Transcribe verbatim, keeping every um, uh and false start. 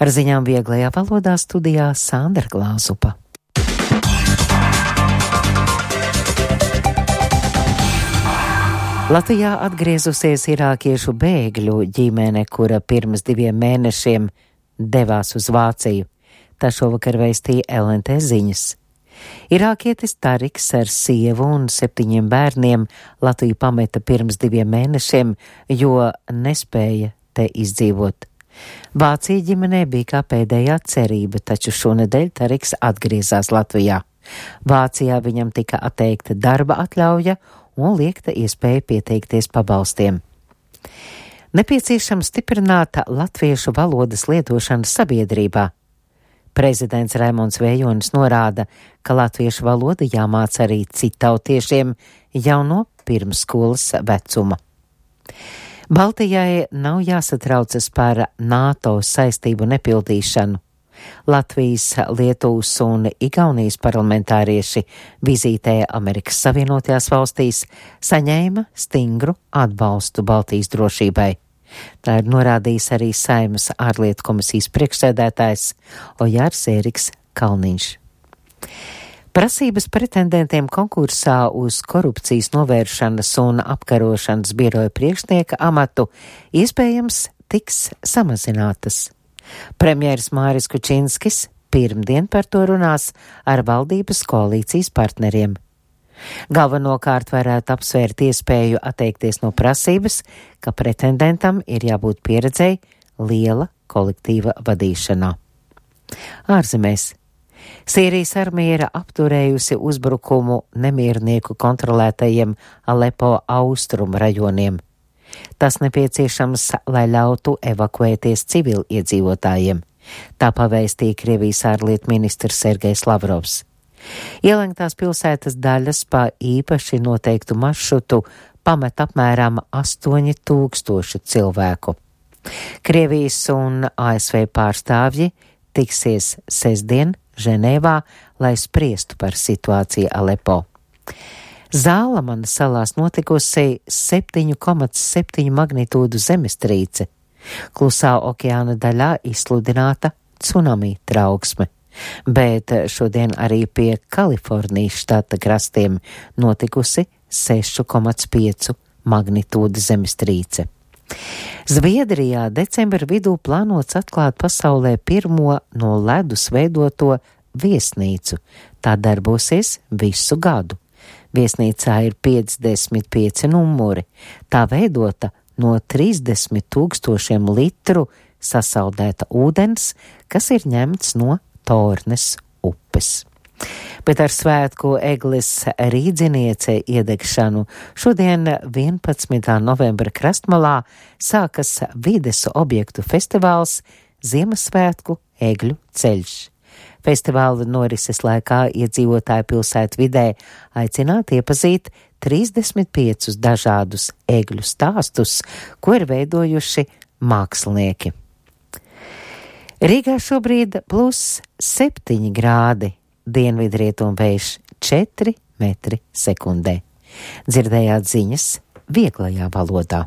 Ar ziņām vieglajā valodā studijā Sandra Glāzupa. Latvijā atgriezusies irākiešu bēgļu ģimene, kura pirms diviem mēnešiem devās uz Vāciju. Tā šovakar vēstīja L N T ziņas. Irākietis Tariks ar sievu un septiņiem bērniem Latviju pameta pirms diviem mēnešiem, jo nespēja te izdzīvot. Vācija ģimenē bija kā pēdējā cerība, taču šonedēļ Tariks atgriezās Latvijā. Vācijā viņam tika atteikta darba atļauja un liekta iespēja pieteikties pabalstiem. Nepieciešams stiprināt latviešu valodas lietošanu sabiedrībā. Prezidents Raimonds Vējonis norāda, ka latviešu valoda jāmāca arī citautiešiem jau no pirmsskolas vecuma. Baltijai nav jāsatraucas par NATO saistību nepildīšanu. Latvijas, Lietuvas un Igaunijas parlamentārieši vizītē Amerikas Savienotajās valstīs saņēma stingru atbalstu Baltijas drošībai. Tā ir norādījis arī Saeimas ārlietu komisijas priekšsēdētājs Ojārs Ēriks Kalniņš. Prasības pretendentiem konkursā uz korupcijas novēršanas un apkarošanas biroja priekšnieka amatu iespējams tiks samazinātas. Premjeras Māris Kučinskis pirmdien par to runās ar valdības koalīcijas partneriem. Galvenokārt varētu apsvērt iespēju atteikties no prasības, ka pretendentam ir jābūt pieredzei liela kolektīva vadīšanā. Ārzemēs. Sīrijas armija ir apturējusi uzbrukumu nemiernieku kontrolētajiem Alepo austrumu rajoniem. Tas nepieciešams, lai ļautu evakuēties civiliedzīvotājiem. Tā pavēstīja Krievijas ārlietu ministrs Sergejs Lavrovs. Ielenktās pilsētas daļas pa īpaši noteiktu maršrutu pamet apmēram astoņi tūkstoši cilvēku. Krievijas un A S V pārstāvji tiksies sestdien Ženēvā, lai spriestu par situāciju Alepo. Zālamana salās notikusi septiņu komats septiņu magnitūdu zemestrīce. Klusā okeāna daļā izsludināta tsunami trauksme, bet šodien arī pie Kalifornijas štata krastiem notikusi sešu komats pieci magnitūda zemestrīce. Zviedrijā decembra vidū plānots atklāt pasaulē pirmo no ledus veidoto viesnīcu. Tā darbosies visu gadu. Viesnīcā ir piecdesmit pieci numuri. Tā veidota no trīsdesmit tūkstošiem litru sasaldēta ūdens, kas ir ņemts no Tornes upes. Bet ar svētku egles rīdziniece iedegšanu šodien vienpadsmitā novembra krastmalā sākas vides objektu festivāls Ziemassvētku egļu ceļš. Festivāla norises laikā iedzīvotāji pilsētu vidē aicināt iepazīt trīsdesmit piecus dažādus egļu stāstus, ko ir veidojuši mākslinieki. Rīgā šobrīd plus septiņi grādi. Dienvidrietumu vējš četri metri sekundē. Dzirdējāt ziņas vieglajā valodā.